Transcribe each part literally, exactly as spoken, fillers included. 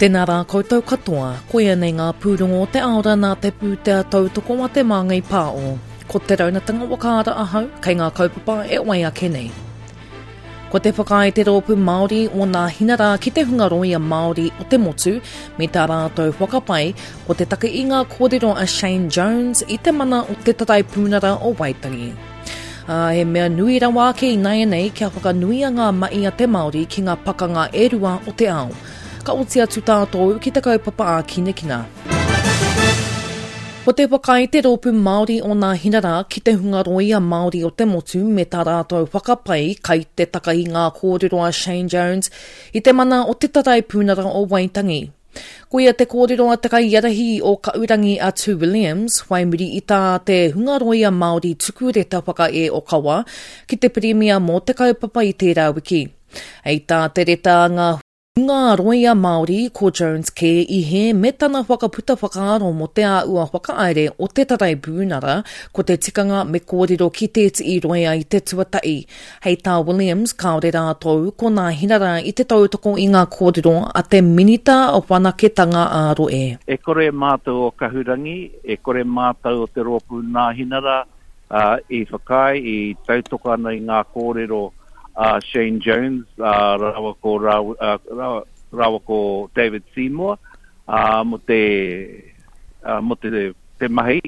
Tēnā rā koutou katoa, koia nei ngā pūrongo o te aora nā te pūtea tautoko a Te Māngai Pāo. Ko Te Raunatanga Whakaara ahau, kei ngā kaupapa e wai ake nei. Ko te whakaae te rōpū Māori o Nāhinara ki te hunga rōia Māori o te motu me tā rātou whakapae ko te take i ngā kōrero a Shane Jones i te mana o te Taraipiunara o Waitangi. Ā, he mea nui rawa ake ināianei kia whakanuia ngā mahi a te Māori ki ngā pakanga e rua o te ao. Ka oti atu tātou ki te kaupapa ā-kinakina. Ko te whakaae te rōpū Māori o Nāhinara ki te hunga rōia Māori o te motu me tā rātou whakapae kai te takahi ngā kōrero a Shane Jones i te mana o te Taraipiunara o Waitangi. Koia te kōrero a te kaiārahi o Kahurangi a Tu Williams, whai muri i tā te hunga rōia Māori tuku reta whakaē ōkawa ki te Pirimia mō te kaupapa i tērā wiki. Hei tā te reta a ngā hunga rōia Māori, ko Jones kē i hē me tana whakaputa whakaaro mō te āhua whakahaere o te Taraipiunara, ko te tikanga me kōrero ki tētehi rōia i te tuatahi. Hei tā Williams, kāore rātou ko Nāhinara i te tautoko i ngā kōrero a te Minita Whanaketanga ā-Rohe. E kore mātou o Kahurangi, e kore mātou o te rōpū Nāhinara uh, i whakaae, i tautoko ana i ngā kōrero a Shane Jones uh, rawa ko, rawa, uh, rawa ko David Seymour uh, mo te, uh, mo te, te mahi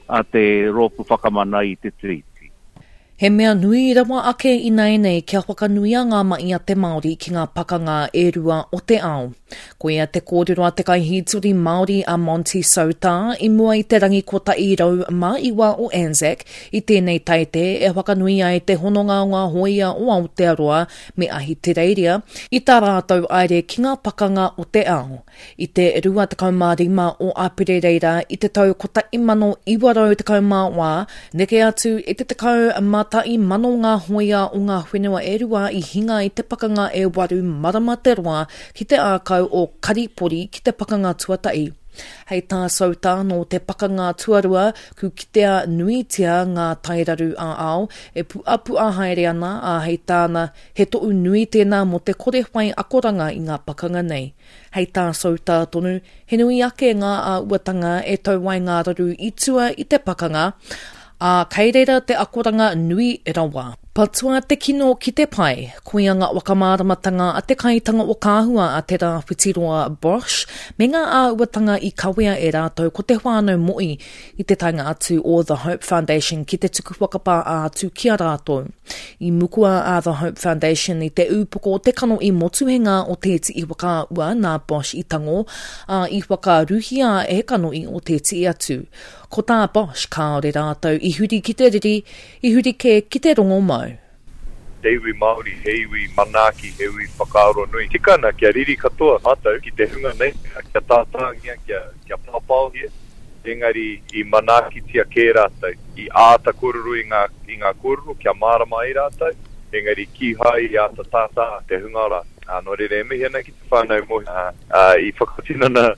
a te rōpū whakamana i te tiriti. He mea nui rawa ake ināianei kia whakanuia ngā mahi a te Māori ki ngā pakanga e rua o te ao. Koia te kōrero a te kaihītori Māori a Monty Soutar i mua i te rangi kotahi rau mā iwa o Anzac i tēnei taite e whakanui ai te hononga o ngā hōia o Aotearoa me Ahitereiria i tā rātou haere ki ngā pakanga o te ao. I te rua tekau mā rima o Aperereira i te tau kotahi mano iwa rau tekau mā wā, neke atu i te tekau mā tahi mano ngā hōia o ngā whenua e rua i hinga i te pakanga e waru marama te roa ki te ākau o Karipori ki te pakanga tuatahi. Hei tā Soutar nō te pakanga tuarua, ku kitea nuitia ngā tairaru ā-ao e puapua haere ana, ā hei tāna, he tohu nui tēnā mō te kore whai akoranga i ngā pakanga nei. Hei tā Soutar tonu, he nui ake ngā āhuatanga e tau ai ngā raru i tua i te pakanga, ā, kei reira te akoranga nui rawa. Patua te kino ki te pai, koia ngā whakamāramatanga a te kaitanga o Kāhua a Te Rāwhitiroa Bosch me ngā āhuatanga i kawea e rātou ko te whānau Mo'i i te taenga atu o The Hope Foundation ki te tuku whakapā atu ki a rātou. I mukua a The Hope Foundation i te ūpoko o te kanohi motuhenga o tētehi whakaahua nā Bosch i tango, ā, i whakaruhia e kanohi o tētehi atu. Ko tā Bosch kāore rātou i huri ki te riri, i huri kē ki te rongomau. Te iwi Māori, he iwi manaaki, he iwi whakaaro nui. Tika ana kia riri katoa mātou ki te hunga nei, kia tātāngia, kia, kia pāpāohia, engari i manaakitia kē rātou, i āta kōrero i ngā, i ngā kōrero kia mārama ai rātou, engari kīhai i āta tātā te hunga rā. Ā, nō reira e mihi ana ki te whānau Mohi, ā, i whakatinana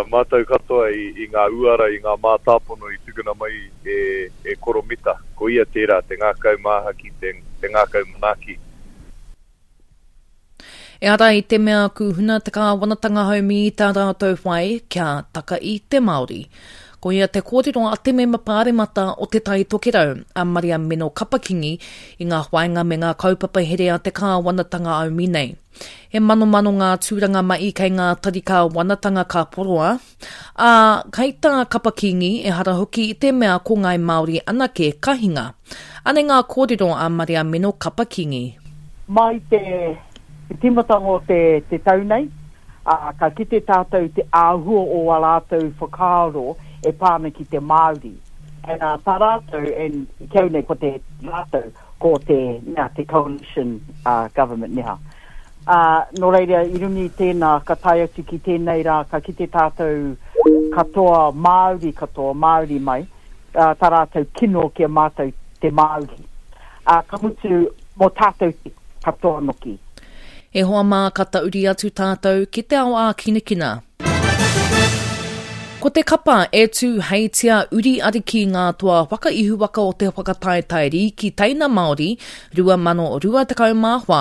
mātou katoa i, i ngā uara, i ngā mātāpono i tukuna mai e, e Koro Mita. Ko ia tērā, te ngākau māhaki, te, te ngākau manaaki. Ehara i te mea kūhuna te kāwanatanga haumi i tā rātou whai kia taka i te Māori. Koia te kōrero a te mema pāremata o Te Tai Tokerau, a Maria Meno Kapakingi, i ngā whāinga me ngā kaupapa here a te kāwanatanga haumi nei. He manomano ngā tūranga mahi kei ngā tari kāwanatanga ka poroa, ā, kei tā Kapakingi ehara hoki i te mea ko Ngāi Māori anake ka hinga. Anei ngā kōrero a Maria Meno Kapakingi. Mai te tīmatanga o te, te tau nei, ā, ka kite tātou te āhua o ā rātou whakaaro e pā ana ki te Māori. And uh, tā rātou, and ki au nei ko te rātou, ko te, mea, te coalition uh, government neha. Uh, nō reira, i runga i tēnā, ka tae atu ki tēnei rā, ka kite tātou katoa Māori katoa, Māori mai, uh, tā rātou kino ki a mātou te Māori. Uh, ka mutu, mō tātou te katoa noki. E hoa mā, ka tahuri atu tātou ki te ao ākinakina. Ko te kapa e tū heitia uri ariki ngā toa whakaihuwaka o te whakataetae rīki teina Māori rua mano rua tekau mā whā.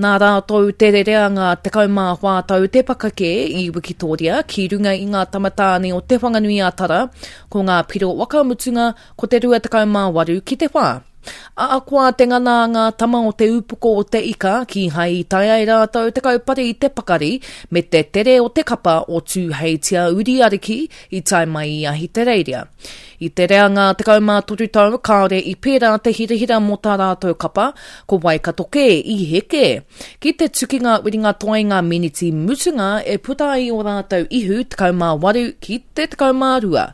Nā rātou te rereanga tekau mā whā tau te pakake i Wikitoria ki runga i ngā tamatāne o Te Whanganui-a-Tara, ko ngā piro whakamutunga ko te rua tekau mā waru ki te whā. Ahakoa te ngana a ngā tama o te upoko o te ika, kīhai i taea e rātou te kaupare i te pakari me te tere o te kapa o Tūheitia Uri Ariki i tae mai i Ahitereiria. I te reanga tekau mā toru tau kāore i pērā te hirahira mō tā rātou kapa, ko Waikato kē i heke. Ki te tukinga whiringa toa i ngā miniti mutunga e puta ai ō rātou ihu tekau mā waru ki te tekau mā rua.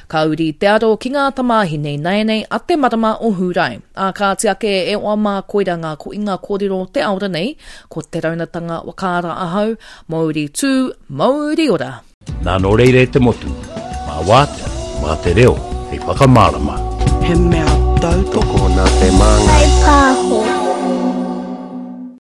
Ka uri te aro ki ngā tamāhine ināianei a te marama o Hūrae. Ā kāti ake e oa mā koira ngā koinga kōrero o te aora nei, ko te raunatanga whakaara ahau, Mauri tū, mauri ora! Nā nō reira e te motu, mā wātea, mā te reo hei whakamārama. He mea tautoko. Tokona te māngai.